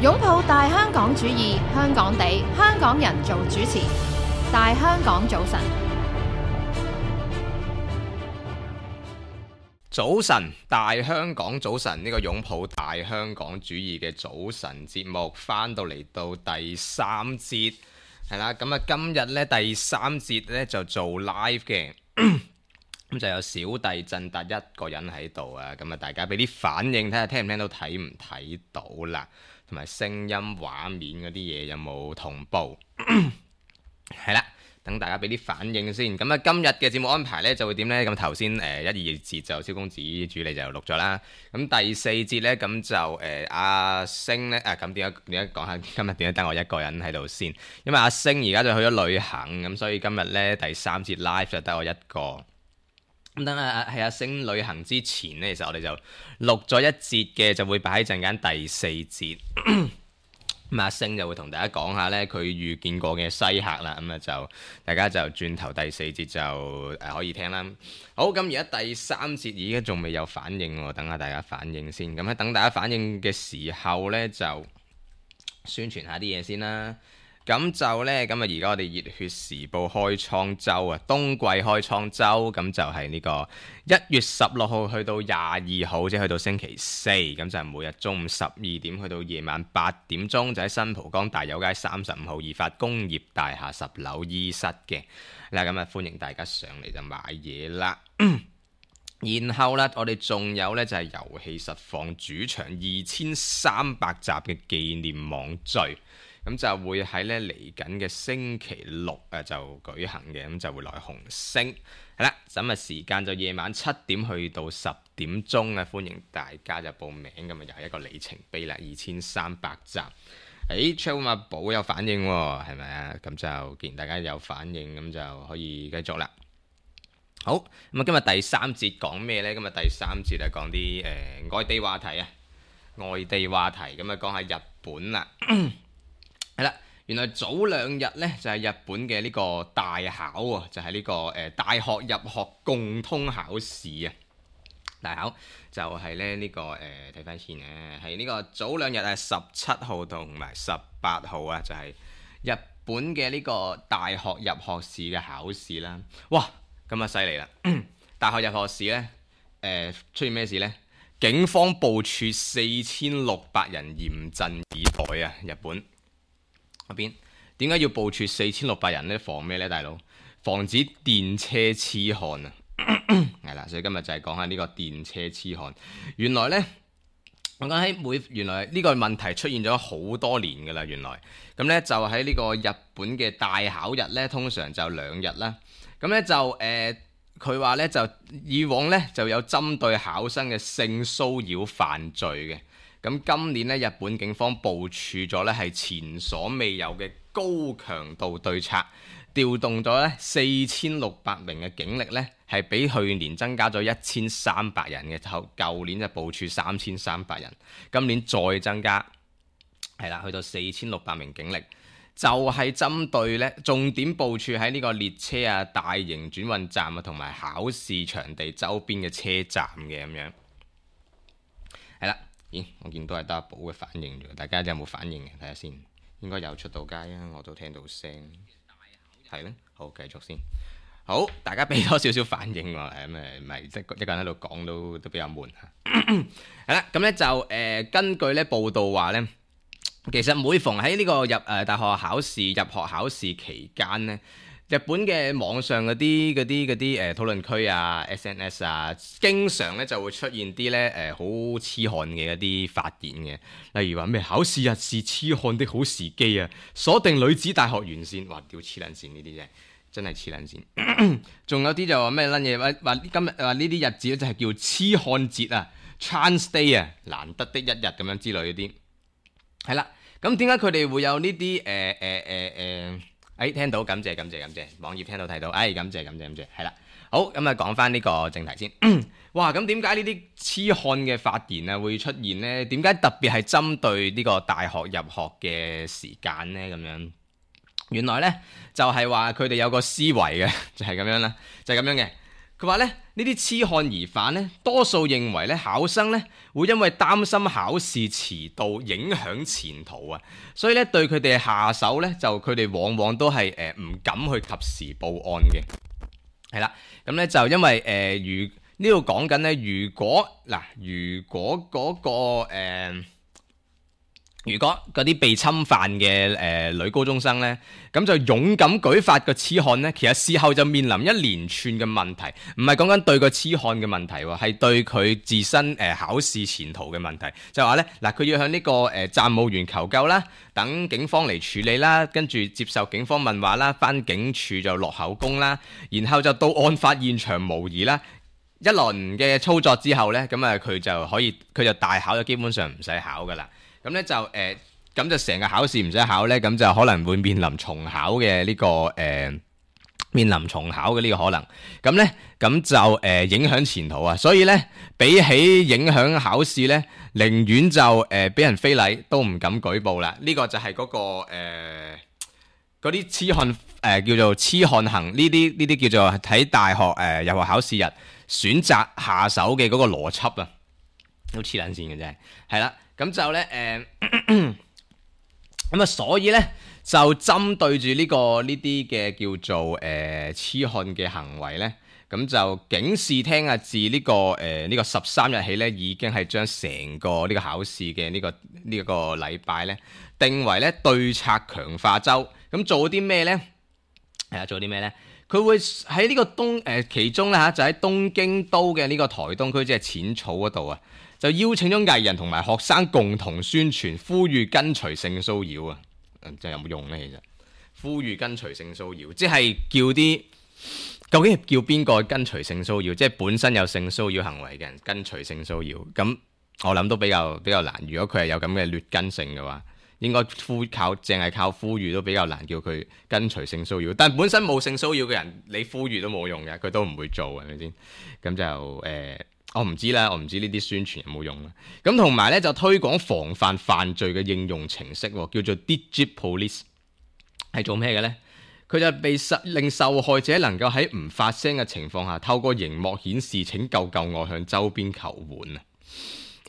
擁抱大香港主義，香港地，香港人做主持。大香港早晨，早晨，大香港早晨，呢個擁抱大香港主義嘅早晨節目翻到嚟到第三節，係啦，咁啊今日呢第三節呢就做 live 嘅，咁就有小弟振達一個人喺度啊，咁啊大家俾啲反應睇下聽唔聽到睇唔睇到啦，同埋聲音畫面嗰啲嘢有冇同步，係啦。等大家俾啲反應先，咁啊今日嘅節目安排呢就會點呢？咁頭先一二節就蕭公子主理就錄咗啦，咁第四節呢，咁就阿星呢，咁點解講下今日點解得我一個人喺度先？因為阿星而家就去咗旅行，咁所以今日呢第三節 live 就得我一個。咁等喺阿星旅行之前呢，其實我哋就錄咗一節嘅，就會擺喺陣間第四節。咁阿星就會同大家講下呢，佢遇見過嘅西客啦，咁啊就大家就轉頭第四節就可以聽啦。好，咁而家第三節而家仲未有反應喎，等下大家反應先。咁喺等大家反應嘅時候呢，就宣傳下啲嘢先啦。咁就呢，咁啊而家我哋熱血時報開倉周啊，冬季開倉周，咁就係呢個1月16號去到22號，即係去到星期四，咁就係每日中午12點去到夜晚8點鐘，就喺新蒲崗大有街35號義發工業大廈10樓E室嘅。嗱，咁啊歡迎大家上嚟就買嘢啦。然後呢，我哋仲有呢，就係遊戲實況主場2300集嘅紀念網聚。咁就會喺呢嚟緊嘅星期六就舉行嘅，咁就會來紅星係啦。咁啊時間就夜晚7點去到10點鐘啊，歡迎大家就報名，咁啊又係一個里程碑啦，2300集。Charles 阿寶有反應喎，係咪啊？咁就既然大家有反應，咁就可以繼續啦。好，咁啊今日第三節講咩呢？今日第三節係講啲外地話題啊，外地話題咁啊講下日本啦。係啦，原來早兩日呢，就係日本嘅呢個大考啊，就係呢個大學入學共通考試啊。大考就係咧呢個睇翻先咧，係呢個早兩日係17號同埋18號啊，就係日本嘅呢個大學入學試嘅考試啦。哇，咁啊犀利啦！大學入學試呢，出現咩事呢？警方部署4600人嚴陣以待啊！日本嗰邊點解要部署4600人呢？防咩呢？大佬？防止電車痴漢啊！係啦，所以今日就係講下呢個電車痴漢。原來呢，我講喺原來呢個問題出現咗好多年㗎啦。原來咁呢，就喺呢個日本嘅大考日呢，通常就2日啦。咁呢，就佢話呢，就以往呢，就有針對考生嘅性騷擾犯罪嘅。咁今年咧，日本警方部署咗咧係前所未有嘅高強度對策，調動咗咧4600名嘅警力咧，係比去年增加咗1300人嘅。舊年就部署3300人，今年再增加係啦，去到4600名警力，就係針對咧重點部署喺呢個列車啊、大型轉運站啊同埋考試場地周邊嘅車站嘅咁樣，係啦。咦，我見到係得阿寶嘅反應啫，大家有冇反應嘅？睇下先，應該有出到街啊，我都聽到聲，係咧，好繼續先。好，大家俾多少少反應喎，咁唔係即一個人喺度講都比較悶嚇。係啦，咁咧就根據咧報道話咧，其實每逢喺呢個大學考試入學考試期間咧，日本嘅網上嗰啲討論區啊、SNS 啊，經常咧就會出現啲咧好痴漢嘅一啲發言嘅，例如話咩考試日是痴漢的好時機啊，鎖定女子大學沿線，哇屌黐撚線呢啲真係黐撚線。仲有啲就話咩撚嘢話今日話呢啲日子咧就係叫痴漢節啊 ，Trans Day 啊，難得的一日咁樣之類嗰啲，係啦。咁點解佢哋會有呢啲聽到，感謝，網頁聽到睇到，感謝，係啦，好，咁啊講翻呢個正題先。哇，咁點解呢啲痴漢嘅發言啊會出現呢？點解特別係針對呢個大學入學嘅時間呢？咁樣，原來呢，就係話佢哋有個思維嘅，就係咁樣啦，就係咁樣嘅。佢話咧呢啲痴漢疑犯咧，多數認為咧考生咧會因為擔心考試遲到影響前途啊，所以咧對佢哋下手咧就佢哋往往都係唔敢去及時報案嘅，係啦，咁咧就因為呢度講緊咧，如果嗰啲被侵犯嘅女高中生呢，咁就勇敢舉發個痴漢呢，其實事後就面臨一連串嘅問題，唔係講緊對個痴漢嘅問題喎，係對佢自身考試前途嘅問題。就話呢，嗱，佢要向呢個站務員求救啦，等警方嚟處理啦，跟住接受警方問話啦，返警署就落口供啦，然後就到案發現場模擬啦。一輪嘅操作之後呢，咁啊佢就大考，就基本上唔使考噶啦。咁咧就咁就成個考試唔使考呢，咁就可能會面臨重考嘅呢個面臨重考嘅呢個可能。咁呢，咁就影響前途啊。所以呢，比起影響考試呢，寧願就俾人非禮都唔敢舉報啦。呢個就係嗰個嗰啲痴漢叫做痴漢行呢啲叫做喺大學入學考試日選擇下手嘅嗰個邏輯啊，都黐撚線嘅啫，係啦。咁就咧咁啊，所以咧就針對住呢啲嘅叫做痴漢嘅行為咧，咁就警視廳啊，自呢個13日起咧，已經係將成個呢個考試嘅呢個禮拜咧，定為咧對策強化週。咁做啲咩咧？係啊，做啲咩咧？佢會喺呢個其中咧就喺東京都嘅呢個台東區，即係淺草嗰度啊，就邀請咗藝人同埋學生共同宣傳，呼籲跟隨性騷擾啊！就有冇用呢？其實呼籲跟隨性騷擾，即係叫啲究竟係叫邊個跟隨性騷擾？即係本身有性騷擾行為嘅人跟隨性騷擾，咁我諗都比較難。如果佢係有咁嘅劣根性嘅話，應該淨係靠呼籲都比較難叫佢跟隨性騷擾。但本身冇性騷擾嘅人，你呼籲都冇用嘅，佢都唔會做，係咪先？咁就我唔知啦，我唔知呢啲宣傳有冇用啦。咁同埋咧就推廣防範犯罪嘅應用程式，叫做 Digit Police， 係做咩嘅咧？佢就令受害者能夠喺唔發聲嘅情況下，透過熒幕顯示請救我，向周邊求援啊！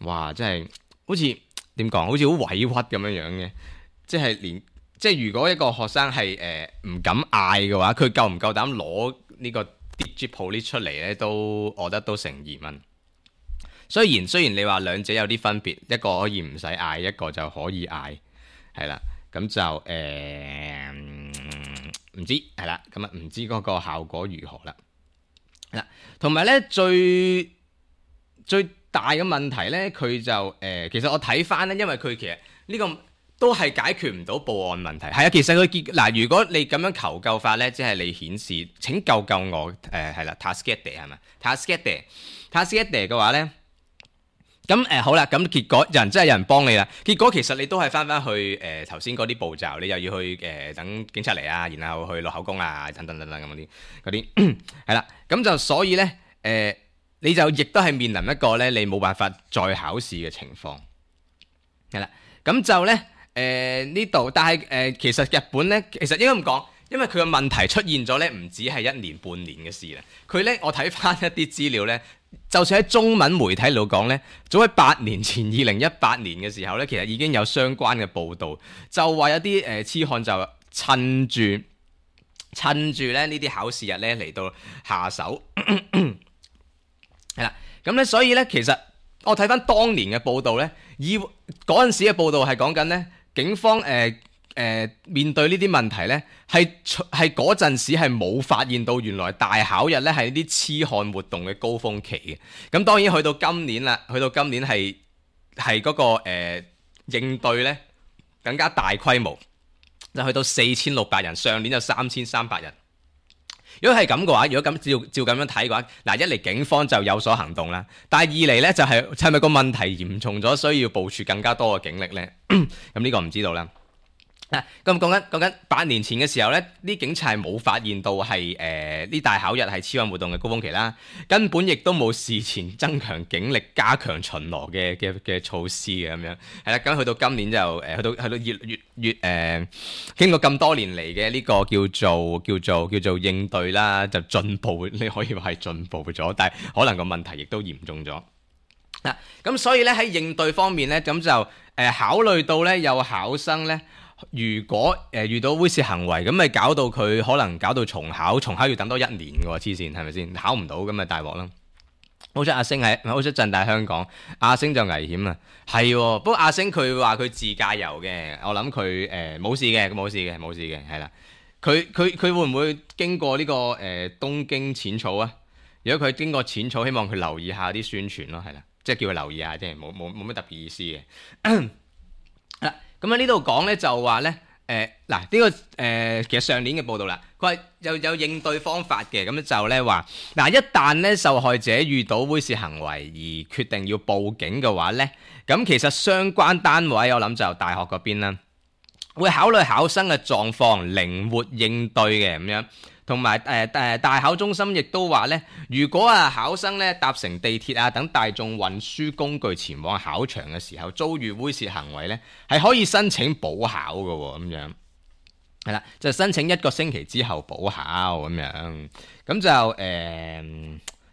哇，真係好似點講？好似好委屈咁樣嘅，即係如果一個學生係唔敢嗌嘅話，佢夠唔夠膽攞呢個 Digit Police 出嚟咧？我覺得都成疑問。雖然你話兩者有啲分別，一個可以唔使嗌，一個就可以嗌，係啦，咁就唔知係啦，咁啊唔知嗰個效果如何啦。係啦，同埋咧最大嘅問題咧，佢就其實我睇翻咧，因為佢其實呢個都係解決唔到報案問題。係啊，其實佢如果你咁樣求救法咧，即係你顯示請救我係啦 ，Taskete 係咪 Taskete 嘅話咧？咁好啦，咁結果真係有人幫你啦。結果其實你都係翻去頭先嗰啲步驟，你又要去等警察嚟啊，然後去落口供啊，等等咁嗰啲係啦。咁就所以咧你就亦都係面臨一個咧你冇辦法再考試嘅情況係啦。咁就咧呢度，但係其實日本咧其實應該咁講，因為佢嘅問題出現咗咧，唔止係1年半年嘅事啦。佢咧我睇翻一啲資料咧。就算喺中文媒體度講呢，早喺8年前2018年嘅時候呢，其實已經有相關嘅報導，就話有啲痴漢就趁住咧呢啲考試日呢嚟到下手，係啦。咁呢，所以呢，其實我睇翻當年嘅報導呢，嗰陣時嘅報導係講緊呢警方面對呢啲問題呢，係嗰陣時係冇發現到原來大考日呢係呢啲痴漢活動嘅高峰期嘅。咁當然去到今年啦，係嗰個應對呢更加大規模，就去到4600人，上年就3300人。如果係咁嘅話，如果咁照咁樣睇嘅話，嗱，一嚟警方就有所行動啦，但係二嚟呢就係咪個問題嚴重咗，需要部署更加多嘅警力呢？咁呢個唔知道啦。咁講緊8年前嘅時候呢，啲警察係冇發現到係呢大考日係痴漢活動嘅高峰期啦，根本亦都冇事前增強警力、加強巡邏嘅措施嘅咁樣。係啦，咁去到今年就去到越經過咁多年嚟嘅呢個叫做應對啦，就進步，你可以話係進步咗，但係可能個問題亦都嚴重咗。咁所以咧喺應對方面咧，咁就考慮到咧有考生咧。如果遇到猥褻行為，咁咪搞到佢可能搞到重考要等多1年嘅喎，黐線係咪先？考唔到咁咪大鑊啦！好彩阿星好彩鎮大香港，阿星就危險啊！係喎，不過阿星佢話佢自駕遊嘅，我諗佢冇事嘅，係啦。佢會唔會經過呢個東京淺草啊？如果佢經過淺草，希望佢留意下啲宣傳咯，係啦，即係叫佢留意下，即係冇乜特別意思嘅。咁喺呢度講咧就話咧，呢個其實上年嘅報道啦，佢話有應對方法嘅，咁就咧話，一旦咧受害者遇到猥褻行為而決定要報警嘅話咧，咁其實相關單位我諗就大學嗰邊啦，會考慮考生嘅狀況，靈活應對嘅咁樣。同埋大考中心亦都話咧，如果考生咧搭乘地鐵等大眾運輸工具前往考場嘅時候遭遇猥褻行為咧，係可以申請補考嘅喎，咁樣係啦，就申請1個星期之後補考咁樣，咁就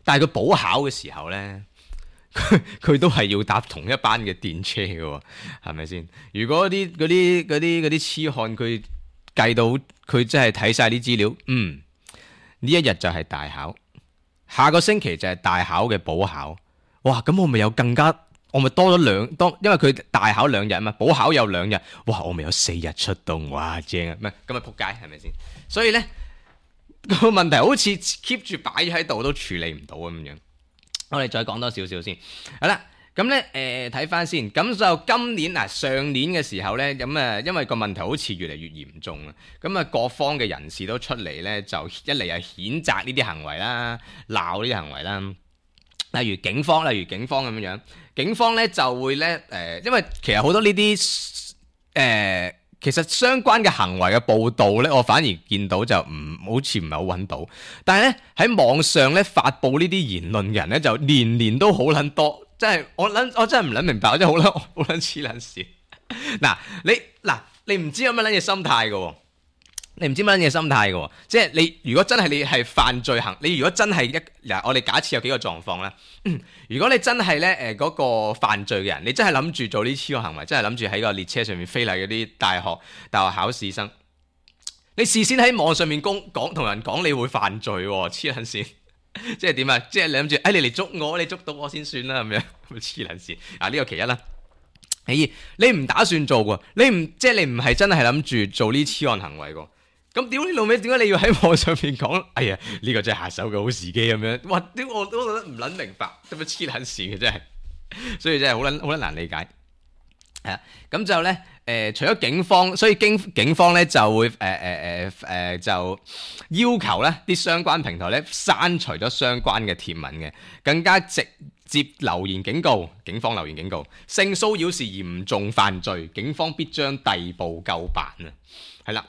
但係佢補考嘅時候咧，佢都係要搭同一班嘅電車嘅喎，係咪先？如果嗰啲痴漢佢計到佢真係睇晒啲資料，呢一日就係大考，下個星期就係大考嘅補考。哇！咁我咪有我咪多咗因為佢大考2日啊嘛，補考有2日，哇！我咪有4日出動，哇正啊！唔係咁咪撲街係咪先？所以咧個問題好似 keep 住擺喺度都處理唔到咁樣。我哋再講多少少先，好啦。咁咧睇翻先，咁就今年上年嘅時候咧，咁因為個問題好似越嚟越嚴重啊，咁各方嘅人士都出嚟咧，就一嚟係譴責呢啲行為啦，鬧呢啲行為啦。例如警方咁樣，警方咧就會咧因為其實好多呢啲其實相關嘅行為嘅報導咧，我反而見到就好似唔係好揾到，但係咧喺網上咧發布呢啲言論嘅人咧，就年都好撚多。真係我真係唔撚明白，我真係好撚黐撚線。你唔知有乜撚嘢心態嘅喎，即係你如果真係你係犯罪你如果真係我哋假設有幾個狀況啦。如果你真係咧嗰個犯罪嘅人，你真係諗住做呢啲行為，真係諗住喺個列車上面非禮嗰啲大學考試生，你事先喺網上面同人講你會犯罪喎，黐撚線。即係點啊？即係你諗住，你嚟捉我，你捉到我先算啦，咁樣黐撚線。呢個其一啦。你唔打算做喎，你唔係真係諗住做呢痴漢行為喎。咁屌你老味，點解你要喺網上面講？哎呀，呢個真係下手嘅好時機咁樣。哇！我都覺得唔撚明白，點樣黐撚線嘅真係。所以真係好撚難理解。咁就咧除咗警方，所以警方咧就會就要求咧啲相關平台咧刪除咗相關嘅貼文嘅，更加直接留言警告，警方留言警告，性騷擾是嚴重犯罪，警方必將逮捕究辦啊！係啦，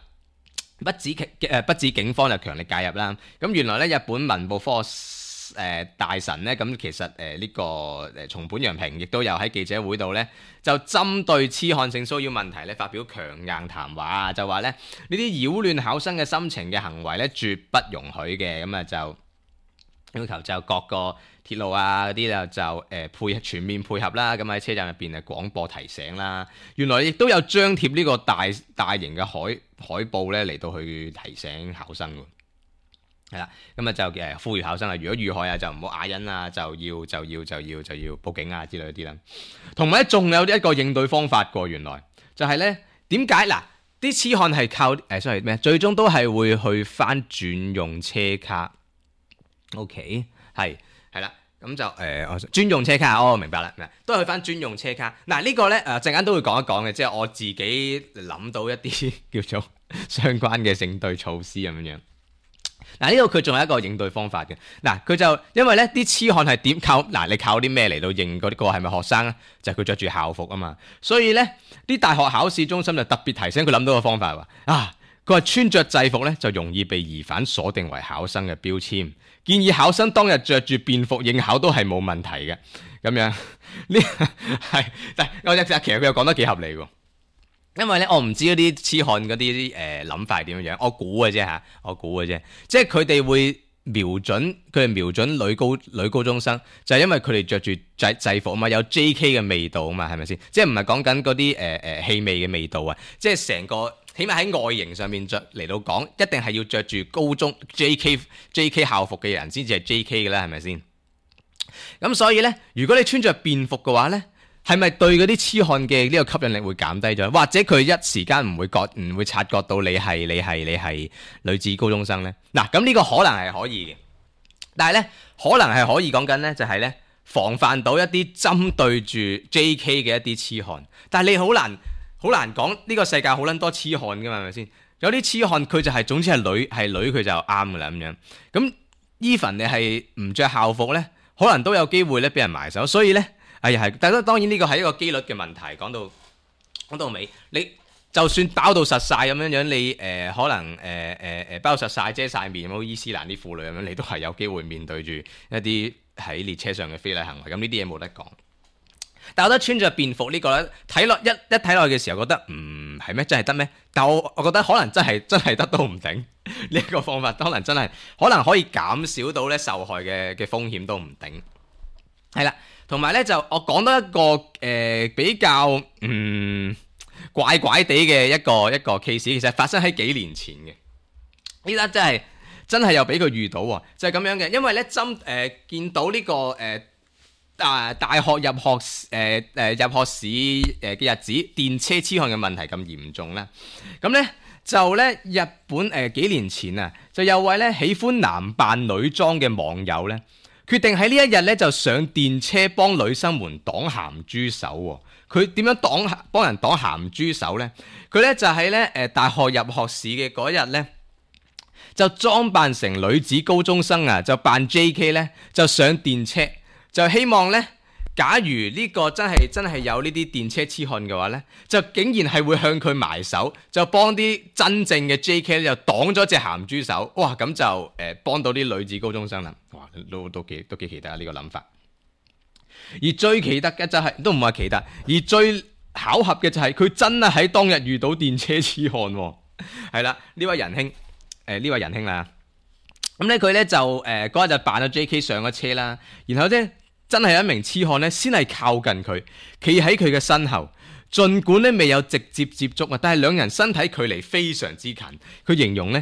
不止警方就強力介入啦。咁原來咧日本文部科大臣咧，咁其實呢個松本洋平亦都有喺記者會度咧，就針對痴漢性騷擾問題咧發表強硬談話，就話咧呢啲擾亂考生嘅心情嘅行為咧絕不容許嘅，咁就要求就各個鐵路嗰啲就全面配合啦，咁喺車站入邊廣播提醒啦，原來亦都有張貼呢個大型嘅海報咧嚟到去提醒考生喎。係啦，咁就呼籲考生如果遇害就唔好啞忍就要報警之類啲啦。同埋仲有一個應對方法喎，原來就係咧點解啲痴漢係靠最終都係會去翻專用車卡。OK， 係啦，咁就專用車卡，明白啦，都係去翻專用車卡。呢個咧陣間都會講一講嘅，即係我自己諗到一啲叫做相關嘅應對措施咁樣。嗱，呢度佢仲有一個應對方法嘅。嗱，佢就因為咧啲痴漢係點靠嗱，你靠啲咩嚟到認嗰啲個係咪學生咧？就係佢着住校服啊嘛。所以咧啲大學考試中心就特別提醒佢諗到個方法話佢話穿着制服咧就容易被疑犯鎖定為考生嘅標籤，建議考生當日着住便服應考都係冇問題嘅。咁樣呢係，但係其實佢又講得幾合理喎。因為咧，我唔知嗰啲痴漢嗰啲諗法係點樣，我估嘅啫，即係佢哋會瞄準女高中生，就係因為佢哋着住制服啊嘛，有 JK 嘅味道啊嘛，係咪先？即係唔係講緊嗰啲氣味嘅味道啊？即係成個起碼喺外形上面着嚟到講，一定係要着住高中 JK 校服嘅人先至係 JK 嘅啦，係咪先？咁所以咧，如果你穿着便服嘅話咧，係咪對嗰啲痴漢嘅呢個吸引力會減低咗？或者佢一時間唔會察覺到你係女子高中生呢？嗱，咁呢個可能係可以嘅，但係呢，可能係可以講緊呢，就係呢，防範到一啲針對住 JK 嘅一啲痴漢。但係你好難講，呢個世界好撚多痴漢噶嘛，係咪先？有啲痴漢佢就係總之係女佢就啱噶啦咁樣。咁 even 你係唔着校服呢，可能都有機會咧俾人埋手，所以呢。係，但係當然呢個係一個機率嘅問題。講到尾，你就算包到實晒咁樣，你可能包實晒遮晒面，好伊斯蘭啲婦女咁樣，你都係有機會面對住一啲喺列車上嘅非禮行為。咁呢啲嘢冇得講。但係我覺得穿着便服呢個咧，睇落一睇落去嘅時候，覺得係咩？真係得咩？但我覺得可能真係得都唔定。呢個方法可能真係可能可以減少到咧受害嘅風險都唔定。係啦。同埋咧就我講多一個比較怪怪地嘅一個 case， 其實發生喺幾年前嘅。呢單真係又俾佢遇到喎，就係咁樣嘅。因為咧見到呢個大學入學試嘅日子，電車痴漢嘅問題咁嚴重啦。咁咧就咧日本幾年前啊，就有位咧喜歡男扮女裝嘅網友咧，決定喺呢一日咧就上電車幫女生們擋鹹豬手喎。佢點樣幫人擋鹹豬手呢？佢咧就喺咧大學入學試嘅嗰日咧，就裝扮成女子高中生啊，就扮 JK 咧，就上電車，就希望咧，假如呢個真係有呢啲電車痴漢嘅話咧，就竟然係會向佢埋手，就幫啲真正嘅 JK 咧就擋咗隻鹹豬手。哇！咁就幫到啲女子高中生啦。哇！都幾奇特啊！呢個諗法。而最奇特嘅就係都唔係奇特，而最巧合嘅就係佢真係喺當日遇到電車痴漢喎。係啦，呢位仁兄啦。咁咧佢咧就嗰日就扮咗 JK 上咗車啦，然後咧真係有一名痴漢咧先係靠近佢，企喺佢嘅身後，儘管咧未有直接接觸啊，但係兩人身體距離非常之近。佢形容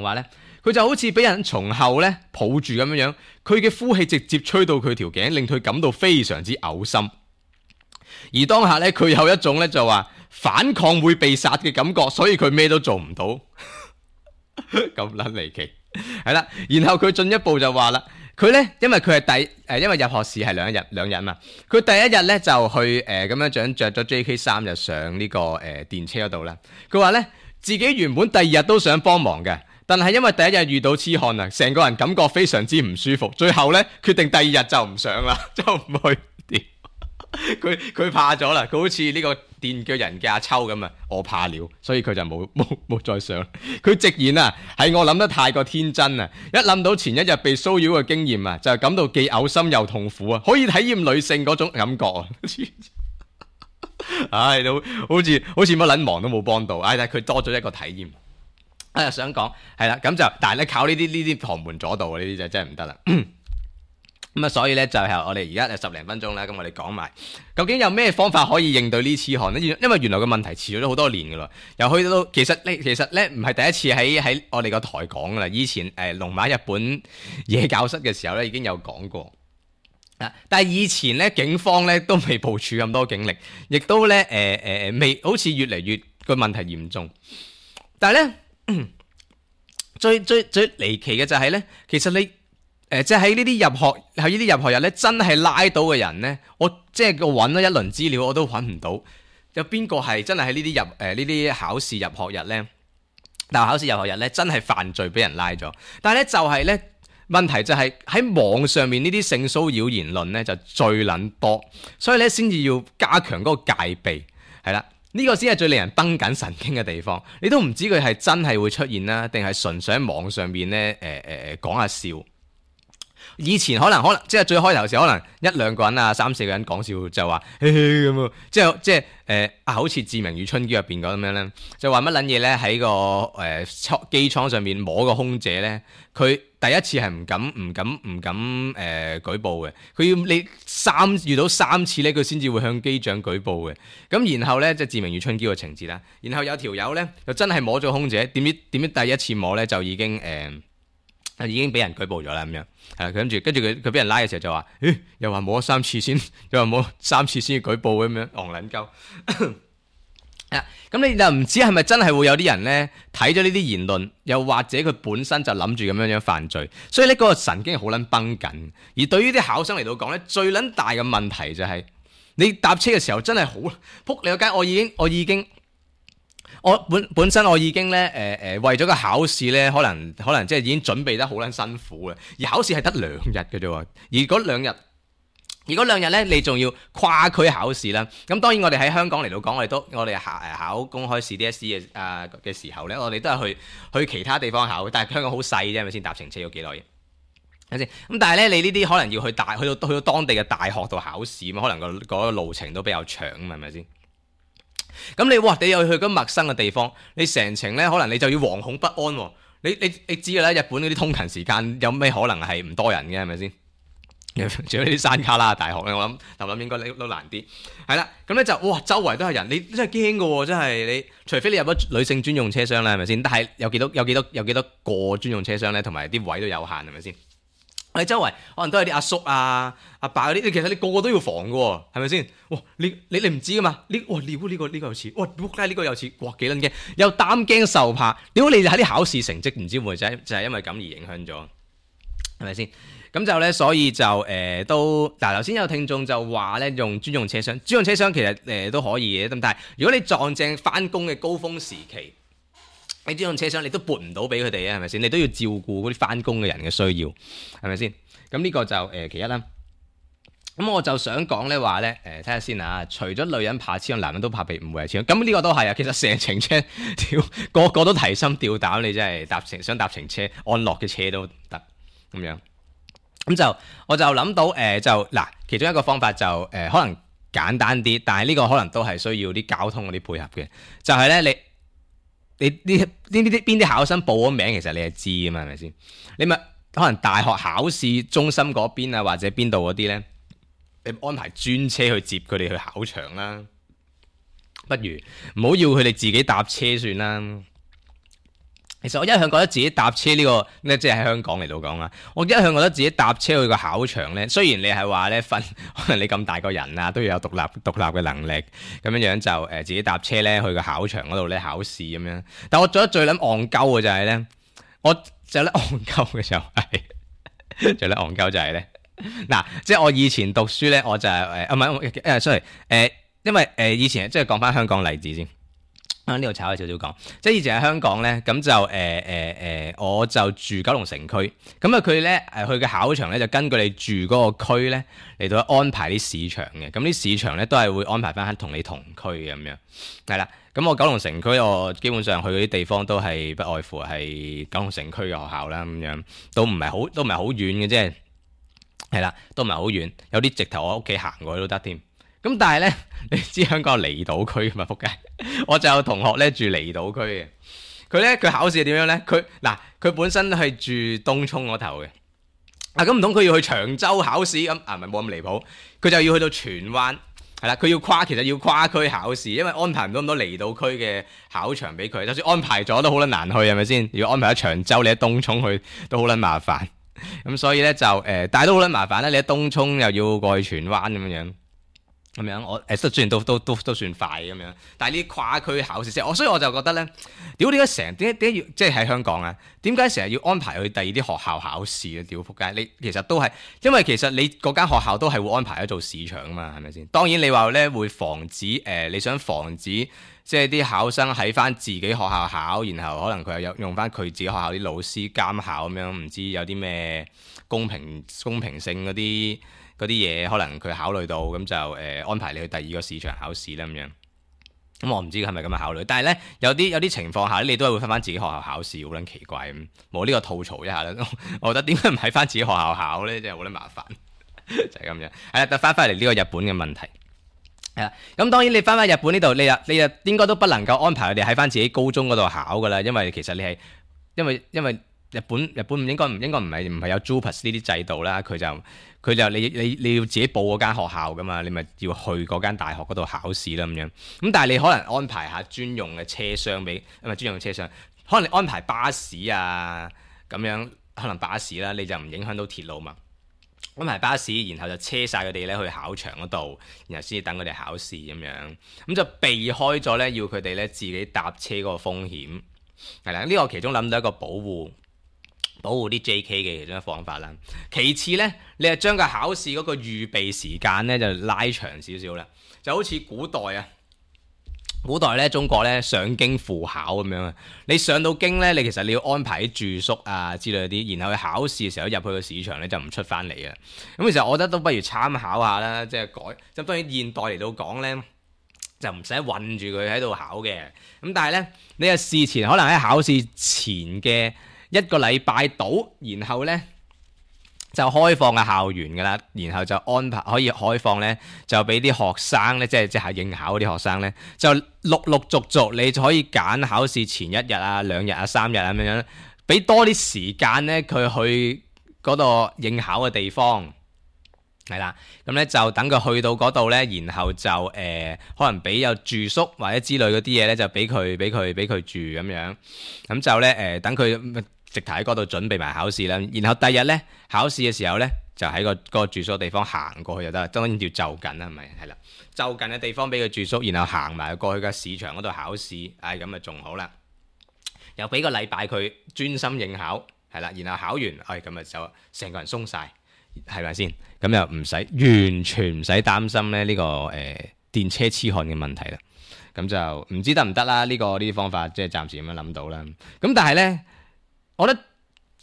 話咧，佢就好似俾人從後咧抱住咁樣樣，佢嘅呼氣直接吹到佢條頸，令佢感到非常之嘔心。而當下咧，佢有一種咧就話反抗會被殺嘅感覺，所以佢咩都做唔到。咁撚離奇，係啦。然後佢進一步就話啦，佢咧因為佢係因為入學試係兩日嘛，佢第一日咧就去咁樣着咗 JK 衫就上呢個電車嗰度啦。佢話咧自己原本第二日都想幫忙嘅，但係因為第一日遇到痴漢啊，成個人感覺非常之唔舒服，最後咧決定第二日就唔上啦，就唔去。佢怕咗啦，佢好似呢個電鋸人嘅阿秋咁啊，我怕了，所以佢就冇再上。佢直言啊，係我諗得太過天真啊！一諗到前一日被騷擾嘅經驗啊，就感到既嘔心又痛苦啊！可以體驗女性嗰種感覺啊！唉，都好似乜撚忙都冇幫到，但係佢多咗一個體驗。想講係啦，咁就但係咧靠呢啲旁門左道呢啲就真係唔得啦。咁啊，所以咧就係我哋而家10零分鐘啦，咁我哋講埋究竟有咩方法可以應對呢痴漢呢？因為原來個問題持續咗好多年噶啦，由去到其實咧唔係第一次喺我哋個台講噶啦，以前龍馬日本夜教室嘅時候咧已經有講過啊，但係以前咧警方咧都未部署咁多警力，亦都咧未好似越嚟越個問題嚴重，但係咧最離奇嘅就係咧，其實你。即係喺呢啲入學日咧，真係拉到嘅人咧，我即係我揾咗一輪資料，我都揾唔到有邊個係真係喺呢啲考試入學日咧大學考試入學日咧真係犯罪俾人拉咗，但係咧就係咧問題就係喺網上面呢啲性騷擾言論咧就最撚多，所以咧先至要加強嗰個戒備，係啦。呢個先係最令人繃緊神經嘅地方，你都唔知佢係真係會出現啦，定係純粹喺網上邊咧講下笑。以前可能即係最開頭時可能一兩個人啊3、4個人講笑就話嘿嘿咁啊，即係好似《志明與春嬌》入邊咁樣咧，就話乜撚嘢咧喺個機艙上面摸個空姐咧，佢第一次係唔敢舉報嘅，佢要你遇到3次咧，佢先至會向機長舉報嘅。咁然後咧即係《志明與春嬌》嘅情節啦，然後有條友咧就真係摸咗空姐，點知第一次摸咧就已經俾人舉報咗啦咁樣，係啦，跟住佢俾人拉嘅時候就話，又話摸咗3次先，又話摸3次先要舉報咁樣，戇撚鳩。咁你就唔知係咪真係會有啲人咧睇咗呢啲言論，又或者佢本身就諗住咁樣犯罪，所以呢嗰個神經係好撚繃緊。而對於啲考生嚟到講咧，最撚大嘅問題就係你搭車嘅時候真係好撲你個街，我本身我已經咧為咗個考試咧，可能即係已經準備得好撚辛苦嘅，而考試係得2日嘅啫喎，而嗰兩日咧，你仲要跨區考試啦。咁當然我哋喺香港嚟到講，我哋考公開試 DSE 嘅時候咧，我哋都係去其他地方考，但係香港好細啫，係咪先？搭程車要幾耐嘢？係咪先？咁但係咧，你呢啲可能要去到當地嘅大學度考試，可能個路程都比較長啊，係咪先？咁你又去嗰陌生嘅地方，你成程咧可能你就要惶恐不安喎。你知㗎啦，日本嗰啲通勤時間有咩可能係唔多人嘅係咪先？仲有呢啲山卡拉大學咧，我諗應該都難啲。係啦，咁咧就周圍都係人，你真係驚㗎喎，真係你除非你入咗女性專用車廂啦，係咪先？但係有幾多個專用車廂咧，同埋啲位都有限，係咪先？我哋周圍可能都係啲阿叔啊、阿伯嗰啲，其實你個個都要防㗎喎，係咪先？你唔知㗎嘛？呢個有似，仆街呢個有似，幾撚驚，又擔驚受怕。點解你喺啲考試成績唔知會唔會就係因為咁而影響咗，係咪先？咁就咧，所以就都嗱，頭先有聽眾就話咧用專用車廂其實都可以嘅，咁但係如果你撞正翻工嘅高峰時期，你專用車廂你都撥唔到俾佢哋啊，係咪先？你都要照顧嗰啲翻工嘅人嘅需要，係咪先？咁呢個就其一啦。咁我就想講咧話咧睇下先啊，除咗女人怕黐，男人都怕被誤會係黐。咁呢個都係啊，其實成程車個個都提心吊膽，你真係想搭程車安樂嘅車都得咁樣。咁就我就諗到其中一個方法就可能簡單啲，但係呢個可能都係需要啲交通嗰啲配合嘅，就係咧你呢啲邊啲考生報咗名，其實你係知㗎嘛，係咪先？你咪可能大學考試中心嗰邊啊，或者邊度嗰啲咧，你安排專車去接佢哋去考場啦，不如唔好要佢哋自己搭車算啦。其實我一向覺得自己搭車呢個咧，即係喺香港嚟到講啦，我一向覺得自己搭車去個考場咧，雖然你係話咧可能你咁大個人啊，都要有獨立嘅能力，咁樣就自己搭車咧去個考場嗰度咧考試咁樣。但我做得最撚戇鳩嘅就係咧，最撚戇鳩就係咧，嗱，即係我以前讀書咧，我就係sorry，因為以前即係講翻香港例子先。呢度炒咗少少講，即係以前喺香港咧，咁就我就住九龍城區，咁啊佢咧去嘅考場咧就根據你住嗰個區咧嚟到安排啲試場嘅，咁啲試場咧都係會安排翻喺同你同區嘅咁樣，係啦，咁我九龍城區我基本上去嗰啲地方都係不外乎係九龍城區嘅學校啦，咁樣都唔係好遠嘅啫，係啦，都唔係好遠，有啲直頭我屋企行過去都得添。咁但係咧，你知香港有離島區㗎嘛？仆街！我就有同學咧住離島區嘅，佢考試係點樣咧？佢本身係住東涌嗰頭嘅，咁唔通佢要去長洲考試咁啊？唔係冇咁離譜，佢就要去到荃灣，係啦，佢其實要跨區考試，因為安排唔到咁多離島區嘅考場俾佢，就算安排咗都好撚難去，係咪先？如果安排喺長洲，你喺東涌去都好撚麻煩，咁所以咧就但係都好撚麻煩啦，你喺東涌又要過去荃灣咁樣。咁樣我雖然都算快咁樣，但係呢啲跨區考試所以我就覺得咧，點解點解要即係喺香港啊？點解成日要安排去第二啲學校考試啊？屌仆街！你其實都係因為其實你嗰間學校都係會安排咗做市場啊嘛，係咪先？當然你話咧會防止你想防止即係啲考生喺翻自己學校考，然後可能佢又用翻佢自己學校啲老師監考咁樣，唔知有啲咩公平性嗰啲嘢，可能佢考慮到咁就安排你去第二個市場考試啦咁樣。咁我唔知係咪咁樣考慮，但係咧有啲情況下你都係會翻自己學校考試，好撚奇怪咁。冇呢個吐槽一下啦，我覺得點解唔喺翻自己學校考咧，真係好撚麻煩，就係咁樣。係啦，翻返嚟呢個日本嘅問題。係啦，咁當然你翻返日本呢度，你又應該都不能夠安排佢哋喺翻自己高中嗰度考噶啦，因為其實你係因為日本唔應該唔係有 JUPAS 呢啲制度啦，佢就你要自己報嗰間學校噶嘛，你咪要去嗰間大學嗰度考試啦咁樣。咁但係你可能安排下專用嘅車廂俾，唔係專用嘅車廂，可能你安排巴士啊咁樣，可能巴士啦，你就唔影響到鐵路嘛。安排巴士，然後就車晒佢哋咧去考場嗰度，然後先至等佢哋考試咁樣，咁就避開咗咧要佢哋咧自己搭車嗰個風險。係啦，呢個其中諗到一個保護啲 JK 嘅其中一個方法啦。其次咧，你係將個考試嗰個預備時間咧就拉長少少啦，就好似古代咧中國咧上京赴考咁樣啊。你上到京咧，你其實你要安排啲住宿啊之類啲，然後去考試嘅時候入去個市場咧就唔出翻嚟啊。咁其實我覺得都不如參考下啦，即係改。咁當然現代嚟到講咧，就唔使韞住佢喺度考嘅。咁但係咧，你係事前可能喺考試前嘅1個禮拜到，然後咧就開放嘅校園㗎啦，然後就安排可以開放咧，就俾啲學生咧，即係應考嗰啲學生咧，就陸續你就可以揀考試前1日啊、2日啊、3日啊咁樣，俾多啲時間咧佢去嗰度應考嘅地方。係啦，咁咧就等佢去到嗰度咧，然後就可能俾有住宿或者之類嗰啲嘢咧，就俾佢住咁樣，咁就咧等佢直頭喺嗰度準備埋考試啦。然後第日咧考試嘅時候咧，就喺嗰個住宿地方行過去就得，當然要就近啦，係咪？係啦，就近嘅地方俾佢住宿，然後行埋過去嘅市場嗰度考試，咁啊仲好啦。又俾個禮拜佢專心應考，係啦，然後考完，咁啊就成個人鬆晒。係咪先？咁又完全唔使擔心咧呢個電車痴漢嘅問題啦。咁就唔知得唔得啦？呢啲方法即係暫時咁樣諗到啦。咁但係咧，我覺得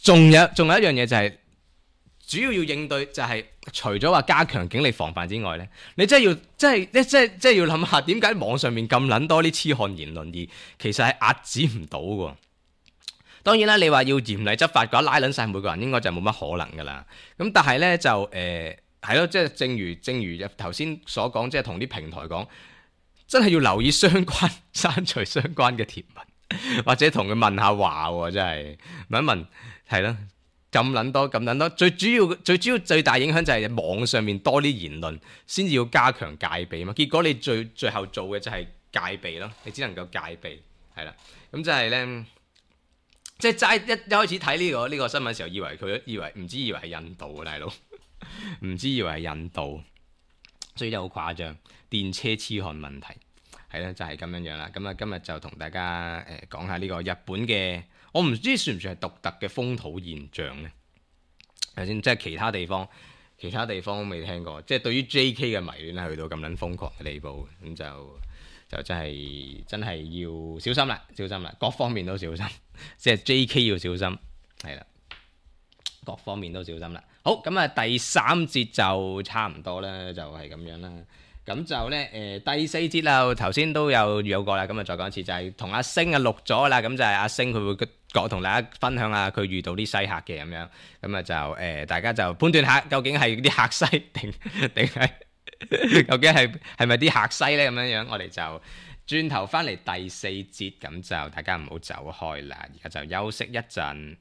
仲有一樣嘢就係主要應對就係除咗話加強警力防範之外咧，你真係要諗下點解網上面咁撚多啲痴漢言論，而其實係壓止唔到㗎。當然啦，你話要嚴厲執法嘅話，拉撚晒每個人應該就冇乜可能噶啦。咁但係咧就係咯，即係正如頭先所講，即係同啲平台講，真係要留意刪除相關嘅貼文，或者同佢問下話喎，真係問一問係咯，咁撚多，最主要最大影響就係網上面多啲言論，先至要加強戒備嘛。結果你最後做嘅就係戒備咯，你只能夠戒備係啦。咁就係咧。即係齋一開始睇呢個新聞嘅時候，以為係印度嘅大佬，唔知以為係印度，所以真係好誇張。電車痴漢問題係啦，就係咁樣啦。咁啊，今日就同大家講下呢個日本嘅，我唔知算唔算係獨特嘅風土現象咧？頭先即係其他地方都未聽過，即係對於 JK 嘅迷戀係去到咁撚瘋狂嘅地步，咁就真係要小心啦，各方面都小心，即係 JK 要小心，係啦，各方面都小心啦。好，咁啊第3節就差唔多啦，就係咁樣啦。咁就咧第4節啦，頭先都有過啦，咁啊再講一次，就係同阿星錄咗啦，咁就係阿星佢會同大家分享下佢遇到啲西客嘅咁樣，咁啊就大家就判斷下究竟係啲客西定係。究竟係咪啲客西呢？咁樣，我哋就轉頭翻嚟第4節，咁就大家唔好走開啦，而家就休息一陣。